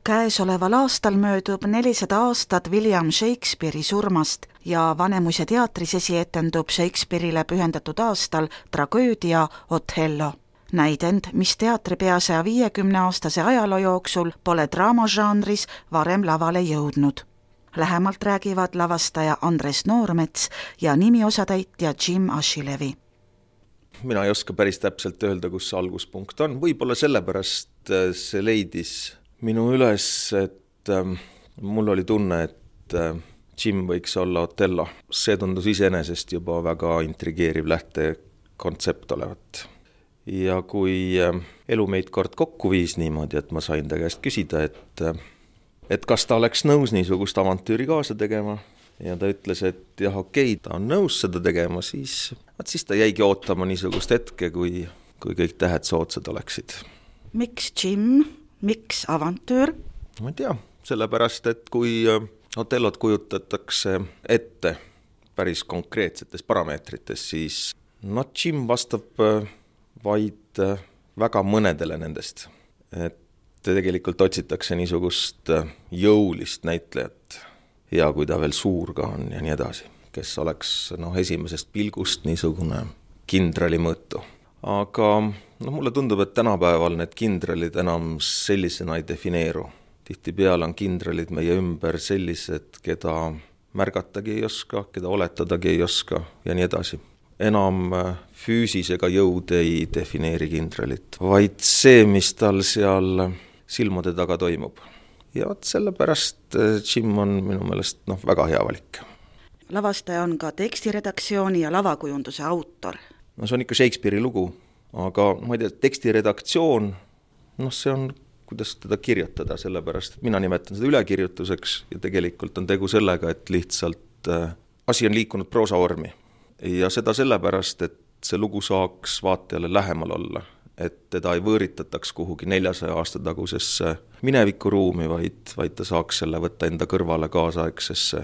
Käesoleval aastal möödub 400 aastat William Shakespeare'i surmast ja Vanemuise teatris esietendub Shakespeare'ile pühendatud aastal tragöödia Othello. Näidend, mis teatri pea 150-aastase ajaloo jooksul pole draamažanris varem lavale jõudnud. Lähemalt räägivad lavastaja Andres Noormets ja nimiosatäitja Jim Ashilevi. Mina ei oska päris täpselt öelda, kus see alguspunkt on. Võib-olla sellepärast see leidis minu üles, et mul oli tunne, et Jim võiks olla Othello. See tundus iseenesest juba väga intrigeeriv lähtekontsept olevat. Ja kui elu meid kord kokku viis niimoodi, et ma sain ta käest küsida, et kas ta oleks nõus niisugust avantüüri kaasa tegema, ja ta ütles, et jah, okei, ta on nõus seda tegema, siis ta jäigi ootama niisugust hetke, kui kõik tähed soodsad oleksid. Miks Jim? Miks avantüür? Ma ei tea, sellepärast, et kui Otellot kujutatakse ette päris konkreetsetes parameetrites, siis Jim vastab vaid väga mõnedele nendest. Et tegelikult otsitakse niisugust jõulist näitlejat ja kui ta veel suur ka on ja nii edasi, kes oleks esimesest pilgust niisugune kindrali mõõtu. Aga mulle tundub, et tänapäeval need kindralid enam sellisena ei defineeru. Tihtipeale on kindralid meie ümber sellised, keda märgatagi ei oska, keda oletadagi ei oska ja nii edasi. Enam füüsisega jõud ei defineeri kindralit, vaid see, mis tal seal silmade taga toimub. Ja sellepärast Jim on minu meelest väga hea valik. Lavastaja on ka tekstiredaktsiooni ja lavakujunduse autor. See on ikka Shakespeare'i lugu, aga ma ei tea, tekstiredaktsioon, see on, kuidas teda kirjutada, sellepärast, et mina nimetan seda ülekirjutuseks ja tegelikult on tegu sellega, et lihtsalt asi on liikunud proosavormi. Ja seda sellepärast, et see lugu saaks vaatajale lähemal olla, et teda ei võõritataks kuhugi 400 aasta tagusesse minevikuruumi, vaid ta saaks selle võtta enda kõrvale kaasaegsesse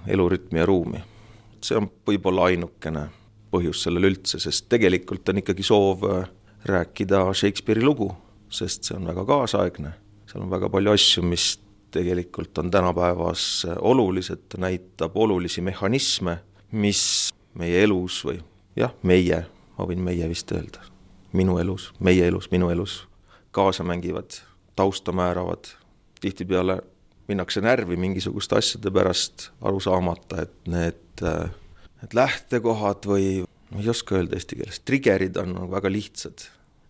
elurütmi ja ruumi. See on võib-olla ainukene põhjus sellel üldse, sest tegelikult on ikkagi soov rääkida Shakespeare'i lugu, sest see on väga kaasaegne. Seal on väga palju asju, mis tegelikult on tänapäevas olulised, ta näitab olulisi mehhanisme, mis meie elus või meie, ma võin meie vist öelda, minu elus, meie elus, minu elus kaasa mängivad, tausta määravad. Tihtipeale minnakse närvi mingisuguste asjade pärast aru saamata, et need lähtekohad või, ma ei oska öelda eesti keeles, triggerid on väga lihtsad.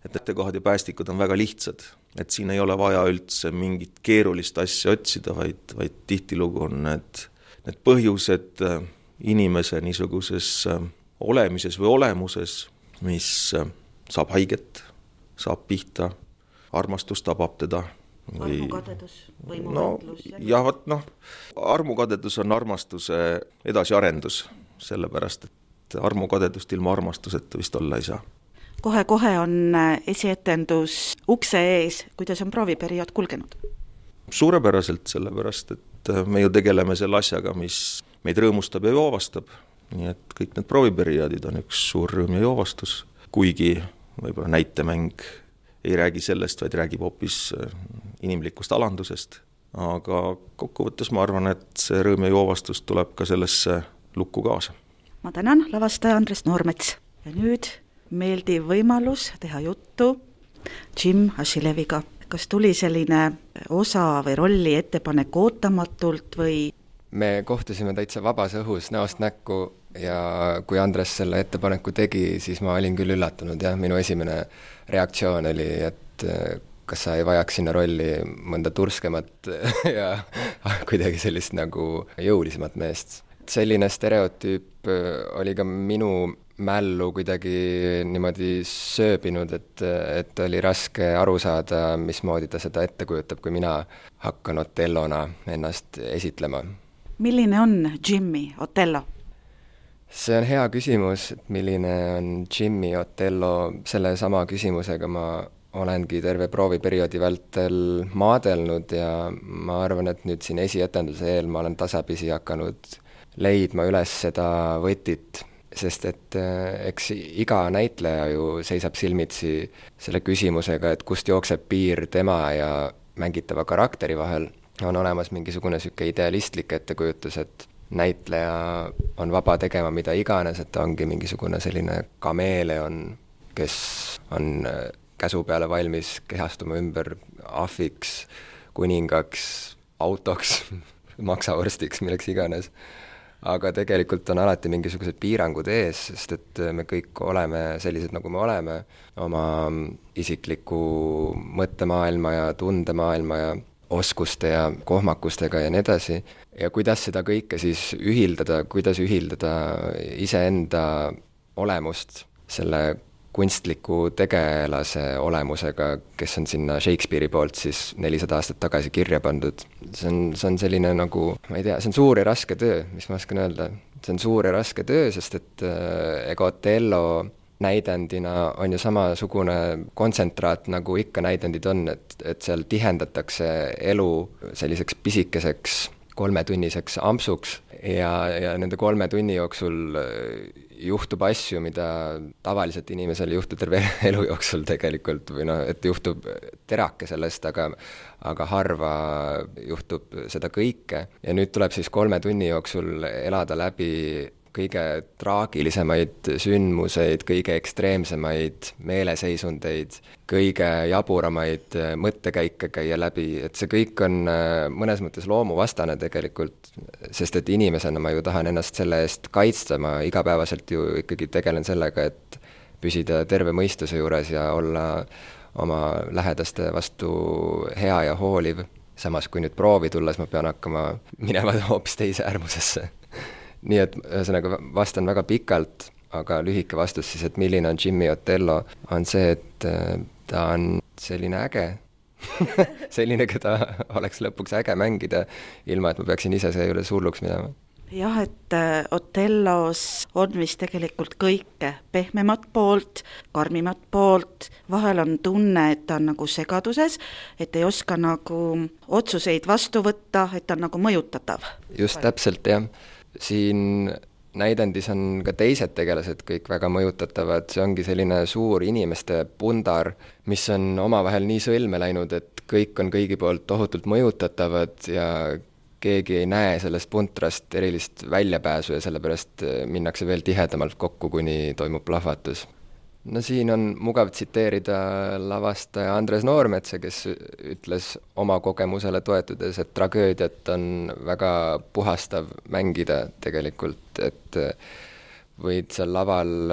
Et lähtekohad ja päästikud on väga lihtsad. Et siin ei ole vaja üldse mingit keerulist asja otsida, vaid tihtilugu on need põhjused inimese niisuguses olemises või olemuses, mis saab haiget, saab pihta, armastus tabab teda. Armukadedus, võimuvõitlus. Armukadedus on armastuse edasiarendus, sellepärast, et armukadedust ilma armastuseta vist olla ei saa. Kohe on esietendus ukse ees, kuidas on prooviperiood kulgenud? Suurepäraselt, sellepärast, et me ju tegeleme selle asjaga, mis meid rõõmustab ja joovastab. Nii et kõik need prooviperioodid on üks suur rõõm ja joovastus, kuigi võib-olla näitemäng ei räägi sellest, vaid räägib hoopis inimlikust alandusest. Aga kokkuvõttes ma arvan, et see rõõm ja joovastus tuleb ka sellesse lukku kaasa. Ma tänan, lavastaja Andres Noormets. Ja nüüd meeldiv võimalus teha juttu Jim Ashileviga. Kas tuli selline osa või rolli ettepanek ootamatult või? Me kohtusime täitsa vabas õhus näost näkku ja kui Andres selle ettepaneku tegi, siis ma olin küll üllatunud ja minu esimene reaktsioon oli, et kas sa ei vajaks sinna rolli mõnda turskemat ja kuidagi sellist nagu jõulisemat meest. Selline stereotüüp oli ka minu mällu kuidagi niimoodi sööbinud, et oli raske aru saada, mismoodi ta seda ette kujutab, kui mina hakkan Otellona ennast esitlema. Milline on Jimmy Othello? See on hea küsimus, et milline on Jimmy Othello. Selle sama küsimusega ma olengi terve prooviperioodi vältel maadelnud ja ma arvan, et nüüd siin esietenduse eel ma olen tasapisi hakanud leidma üles seda võtit, sest et eks iga näitleja ju seisab silmitsi selle küsimusega, et kust jookseb piir tema ja mängitava karakteri vahel on olemas mingisugune niisugune idealistlik ettekujutus, et näitleja on vaba tegema mida iganes, et ta ongi mingisugune selline kameeleon, kes on käsu peale valmis kehastuma ümber ahviks, kuningaks, autoks, maksavorstiks, milleks iganes. Aga tegelikult on alati mingisugused piirangud ees, sest et me kõik oleme sellised, nagu me oleme, oma isikliku mõttemaailma ja tundemaailma ja oskuste ja kohmakustega ja nii edasi. Ja kuidas seda kõike siis ühildada, kuidas ühildada iseenda olemust selle kunstliku tegelase olemusega, kes on sinna Shakespeare'i poolt siis 400 aastat tagasi kirja pandud. See on selline nagu, ma ei tea, see on suur ja raske töö, mis ma oskan öelda. See on suur ja raske töö, sest et Otello näidendina on ju samasugune kontsentraat, nagu ikka näidendid on, et seal tihendatakse elu selliseks pisikeseks 3-tunniseks ampsuks ja nende 3 tunni jooksul juhtub asju, mida tavaliselt inimesel juhtub terve elu jooksul tegelikult, või et juhtub terake sellest, aga harva juhtub seda kõike. Ja nüüd tuleb siis 3 tunni jooksul elada läbi kõige traagilisemaid sündmuseid, kõige ekstreemsemaid meeleseisundeid, kõige jaburamaid mõttekäike käia läbi, et see kõik on mõnes mõttes loomuvastane tegelikult, sest et inimesena ma ju tahan ennast selle eest kaitsta, ma igapäevaselt ju ikkagi tegelen sellega, et püsida terve mõistuse juures ja olla oma lähedaste vastu hea ja hooliv. Samas kui nüüd proovi tulles ma pean hakkama minema hoopis teise äärmusesse. Nii et ühesõnaga vastan väga pikalt, aga lühike vastus siis, et milline on Jimmy Otello, on see, et ta on selline äge. Selline, keda oleks lõpuks äge mängida, ilma et ma peaksin ise seejuures hulluks minema. Jah, et Otellos on vist tegelikult kõike, pehmemat poolt, karmimat poolt, vahel on tunne, et ta on nagu segaduses, et ei oska nagu otsuseid vastu võtta, et ta on nagu mõjutatav. Just täpselt, jah. Siin näidendis on ka teised tegelased kõik väga mõjutatavad, see ongi selline suur inimeste pundar, mis on omavahel nii sõlme läinud, et kõik on kõigi poolt tohutult mõjutatavad ja keegi ei näe sellest puntrast erilist väljapääsu ja sellepärast minnakse veel tihedamalt kokku, kuni toimub plahvatus. No siin on mugav tsiteerida lavastaja Andres Noormetsa, kes ütles oma kogemusele toetudes, et tragöödiat on väga puhastav mängida tegelikult, et võid seal laval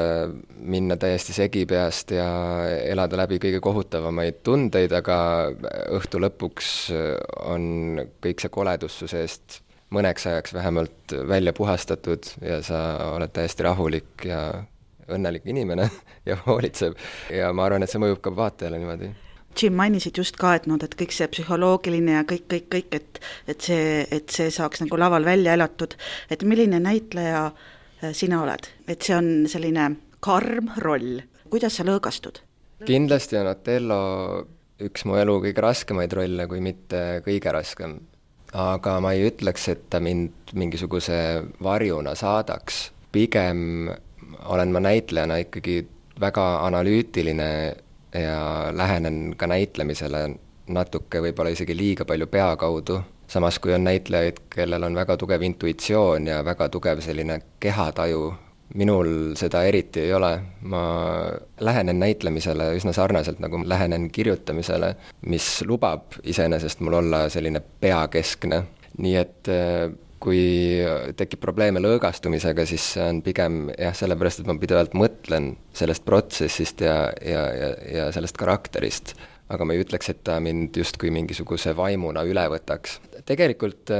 minna täiesti segipeast ja elada läbi kõige kohutavamaid tundeid, aga õhtu lõpuks on kõik see koledus su seest mõneks ajaks vähemalt välja puhastatud ja sa oled täiesti rahulik ja õnnelik inimene ja hoolitseb. Ja ma arvan, et see mõjub ka vaatajale niimoodi. Jim, mainisid just ka, et kõik see psühholoogiline ja kõik, et see saaks nagu laval välja elatud. Et milline näitleja sina oled? Et see on selline karm roll. Kuidas sa lõõgastud? Kindlasti on Otello üks mu elu kõige raskemaid rolle, kui mitte kõige raskem. Aga ma ei ütleks, et ta mind mingisuguse varjuna saadaks. Pigem olen ma näitlejana ikkagi väga analüütiline ja lähenen ka näitlemisele natuke võib-olla isegi liiga palju pea kaudu. Samas kui on näitlejaid, kellel on väga tugev intuitsioon ja väga tugev selline kehataju, minul seda eriti ei ole. Ma lähenen näitlemisele üsna sarnaselt, nagu lähenen kirjutamisele, mis lubab iseenesest mul olla selline peakeskne. Nii et kui tekib probleeme lõõgastumisega, siis see on pigem sellepärast, et ma pidevalt mõtlen sellest protsessist ja sellest karakterist. Aga ma ei ütleks, et ta mind justkui mingisuguse vaimuna üle võtaks. Tegelikult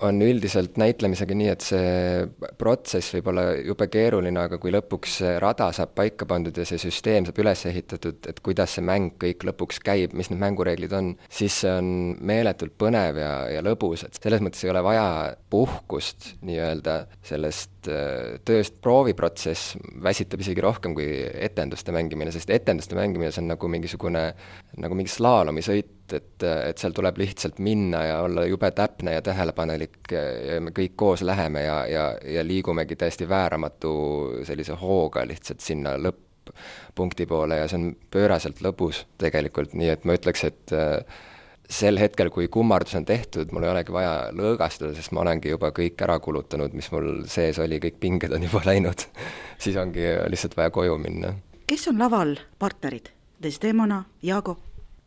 on üldiselt näitlemisega nii, et see protsess võib olla jube keeruline, aga kui lõpuks see rada saab paika pandud ja see süsteem saab üles ehitatud, et kuidas see mäng kõik lõpuks käib, mis need mängureeglid on, siis see on meeletult põnev ja lõbus, et selles mõttes ei ole vaja puhkust nii-öelda sellest tööst. Prooviprotsess väsitab isegi rohkem kui etenduste mängimine, sest etenduste mängimine see on nagu mingi slaalomisõit, et seal tuleb lihtsalt minna ja olla jube täpne ja tähelepanelik ja me kõik koos läheme ja liigumegi täiesti vääramatu sellise hooga lihtsalt sinna lõpp-punkti poole ja see on pööraselt lõbus tegelikult, nii et ma ütleks, et sel hetkel, kui kummardus on tehtud, mul ei olegi vaja lõõgastada, sest ma olengi juba kõik ära kulutanud, mis mul sees oli, kõik pinged on juba läinud. Siis ongi lihtsalt vaja koju minna. Kes on laval partnerid? Desdemona, Iago?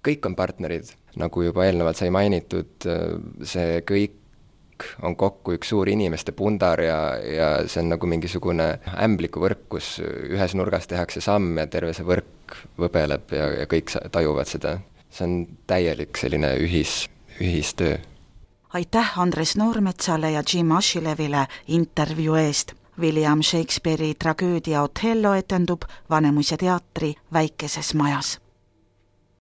Kõik on partnerid, nagu juba eelnevalt sai mainitud, see kõik on kokku üks suur inimeste pundar ja see on nagu mingisugune ämblikuvõrk, kus ühes nurgas tehakse samm ja terve see võrk võbeleb ja kõik tajuvad seda. See on täielik selline ühistöö. Aitäh Andres Noormetsale ja Jim Ashilevile intervjuu eest. William Shakespeare'i tragöödia Othello etendub Vanemuise teatri väikeses majas.